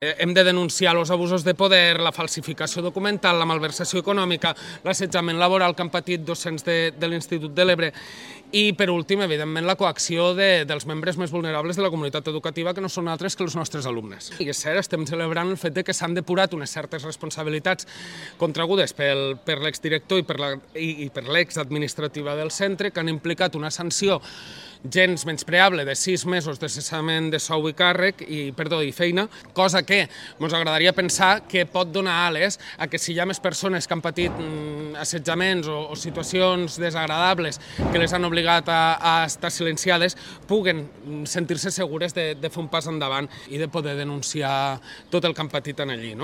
Hem de denunciar els abusos de poder, la falsificació documental, la malversació econòmica, l'assetjament laboral que han patit docents de l'Institut de l'Ebre i, per últim, evidentment, la coacció dels membres més vulnerables de la comunitat educativa, que no són altres que els nostres alumnes. I és cert, estem celebrant el fet que s'han depurat unes certes responsabilitats contragudes per l'exdirector i per l'exadministrativa del centre, que han implicat una sanció gens menyspreable de 6 mesos de cessament de sou i càrrec i feina, cosa que ens agradaria pensar que pot donar ales a que si hi ha més persones que han patit assetjaments o situacions desagradables que les han obligat a estar silenciades, puguen sentir-se segures de fer un pas endavant i de poder denunciar tot el que han patit allí.